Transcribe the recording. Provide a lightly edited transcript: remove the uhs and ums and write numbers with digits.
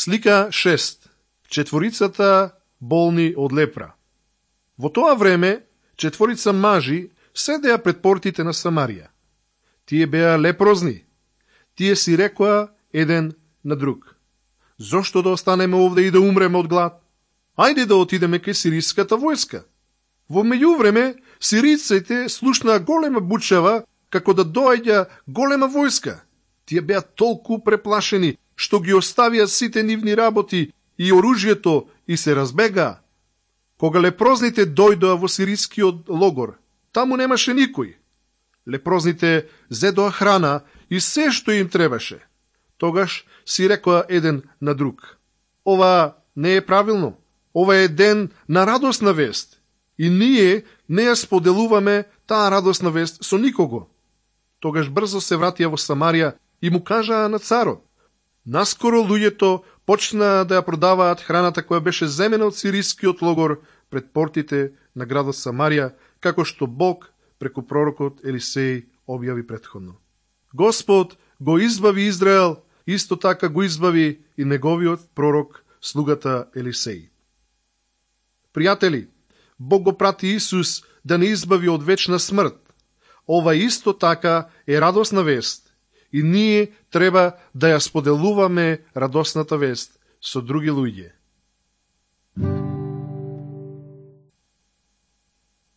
Слика 6. Четворицата болни од лепра. Во тоа време, четворица мажи седеа пред портите на Самарија. Тие беа лепрозни. Тие си рекоа еден на друг: зошто да останеме овде и да умреме од глад? Ајде да отидеме кај сириската војска. Во меѓувреме, сириците слушнаа голема бучава, како да доаѓа голема војска. Тие беа толку преплашени, што ги оставија сите нивни работи и оружјето и се разбегаа. Кога лепрозните дојдоа во сирискиот логор, таму немаше никој. Лепрозните зедоа храна и се што им требаше. Тогаш си рекоа еден на друг: ова не е правилно. Ова е ден на радосна вест. И ние не ја споделуваме таа радосна вест со никого. Тогаш брзо се вратија во Самарија и му кажаа на царот. Наскоро луѓето почнаа да ја продаваат храната која беше земена од сирискиот логор пред портите на градот Самарија, како што Бог преку пророкот Елисеј објави претходно. Господ го избави Израел, исто така го избави и неговиот пророк, слугата Елисеј. Пријатели, Бог го прати Исус да не избави од вечна смрт. Ова исто така е радосна вест и ние треба да ја споделуваме радосната вест со други луѓе.